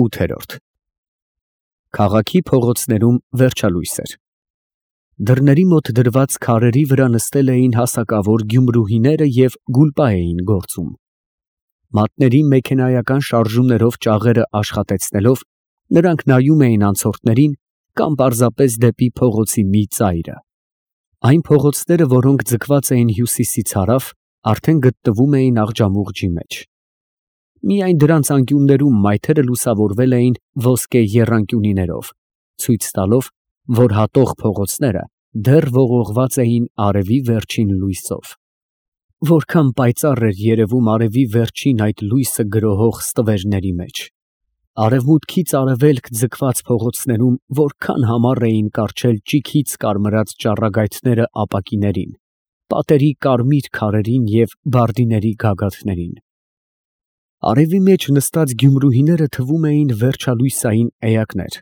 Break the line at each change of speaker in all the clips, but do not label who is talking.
8։ Քաղաքի փողոցներում վերջալույս էր։ Դռների մոտ դրված քարերի վրա նստել էին հասակավոր գյումրուհիները և գուլպա էին գործում։ Մատների մեքենայական շարժումներով ճաղերը աշխատեցնելով, նրանք նայում էին անցորդներին կամ պարզապես դեպի փողոցի մի ծայրը։ Այն փողոցները, որոնք ձգված էին հյուսիսից հարավ, արդեն գտնվում էին աղջամուղջի մեջ։ Միայն դրանց անկյուններում մայթերը լուսավորվել էին ոսկե եռանկյունիներով, ցույց տալով, որ հատող փողոցները դեռ ողողված էին արևի վերջին լույսով։ Որքան պայծառ էր երևում արևի վերջին այդ լույսը գրոհող ստվերների մեջ։ Արևմուտքից արևելք ձգված փողոցներում որքան համառ էին կառչել ճիգից կարմրած ճառագայթները ապակիներին, պատերի կարմիր քարերին և բարդիների գագաթներին։ Արևի մեջ նստած գյումրուհիները թվում էին վերջալույսային էակներ,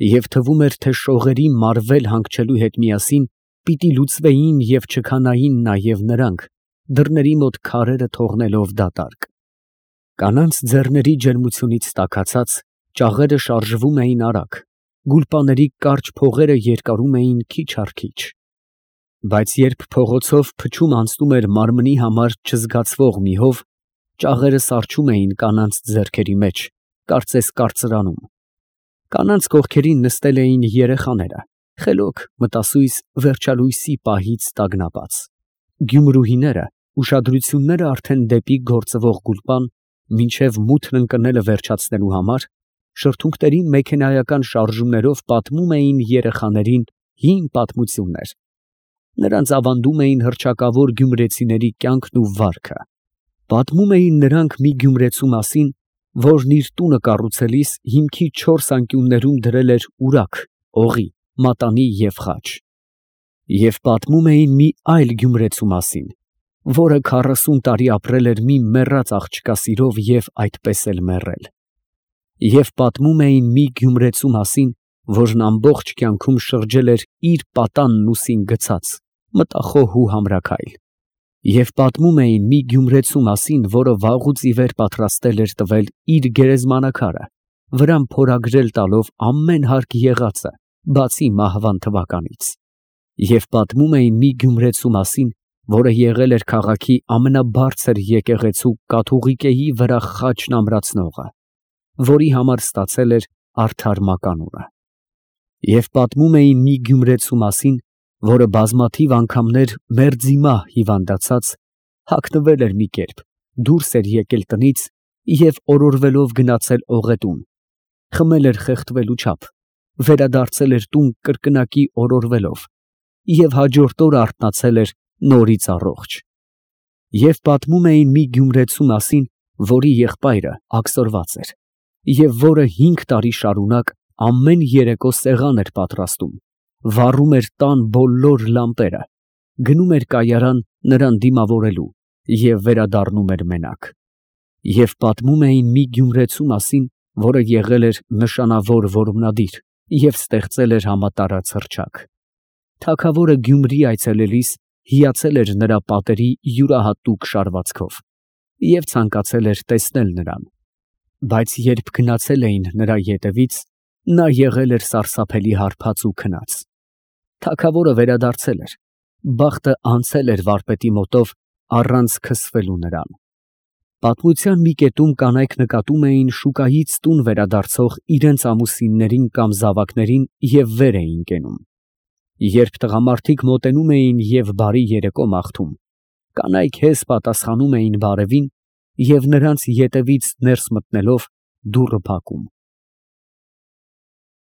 և թվում էր, թե շողերի մարվել հանգչելու հետ միասին պիտի լուծվեին և չքանային նաև նրանք, դռների մոտ քարերը թողնելով դատարկ։ Կանանց ձեռների ջերմությունից տաքացած, ճաղերը շարժվում էին արագ, գուլպաների կարճ փողերը երկարում էին քիչ առ քիչ։ Բայց երբ փողոցով փչում անցնում էր մարմնի համար չզգացվող մի հով, ճաղերը սառչում էին կանանց ձեռքերի մեջ, կարծես կարծրանում։ Կանանց կողքերին նստել էին երեխաները, խելոք, մտասույս, վերջալույսի պահից տագնապած։ Գյումրուհիները, ուշադրությունները արդեն դեպի գործվող գուլպան, մինչև մութն ընկնելը վերջացնելու համար, շրթունքների մեքենայական շարժումներով պատմում էին երեխաներին հին պատմություններ։ Նրանց ավանդում էին հռչակավոր գյումրեցիների կյանքն ու վարքը։ Պատմում էին նրանք մի գյումրեցու մասին, որն իր տունը կառուցելիս հիմքի 4 անկյուններում դրել էր ուրակ, օղի, մատանի և խաչ։ Եվ պատմում էին մի այլ գյումրեցու մասին, որը 40 տարի ապրել էր մի մեռած աղջկա սիրով և այդպես էլ մեռել։ Եվ պատմում էին մի գյումրեցու մասին, որն ամբողջ կյանքում շրջել էր իր պատանն ուսին գցած, մտախոհ ու համրաքայլ։ Եվ պատմում էին մի գյումրեցու մասին, որը վաղուց ի վեր պատրաստել էր տվել իր գերեզմանակարը, վրան փորագրել տալով ամեն հարկ եղածը, բացի մահվան թվականից։ Եվ պատմում էին մի գյումրեցու մասին, որը եղել էր քաղաքի ամենաբարձր եկեղեցու կաթուղիկեի վրա խաչն ամրացնողը, որի համար ստացել էր արդար մականունը։ Եվ պատմում էին մի գյումրեցու մասին, որը բազմաթիվ անգամներ մերձիմա հիվանդացած, հագնվել էր մի կերպ, դուրս էր եկել տնից և օրորվելով գնացել օղետուն, խմել էր խեղդվելու չափ, վերադարձել էր տուն կրկնակի օրորվելով և հաջորդ օրը արթնացել էր նորից առողջ։ Եվ պատմում էին մի գյումրեցու մասին, որի եղբայրը աքսորված էր, և որը 5 տարի շարունակ ամեն երեկո սեղան էր պատրաստում, վառում էր տան բոլոր լամպերը, գնում էր կայարան նրան դիմավորելու և վերադառնում էր մենակ։ Եվ պատմում էին մի գյումրեցու մասին, որը եղել էր նշանավոր որմնադիր և ստեղծել էր համատարած հռչակ։ Թագավորը Գյումրի այցելելիս հիացել էր նրա պատերի յուրահատուկ շարվածքով և ցանկացել էր տեսնել նրան։ Բայց երբ գնացել էին նրա ետևից, նա եղել էր սարսափելի հարբած ու քնած։ Թագավորը վերադարձել էր, բախտը անցել էր վարպետի մոտով առանց քսվելու նրան։ Պատմության մի կետում կանայք նկատում էին շուկայից տուն վերադարձող իրենց ամուսիններին կամ զավակներին և վեր էին կենում։ Երբ տղամարդիկ մոտենում էին և բարի երեկո մաղթում, կանայք հեզ պատասխանում էին բարևին և նրանց ետևից ներս մտնելով դուռը փակում։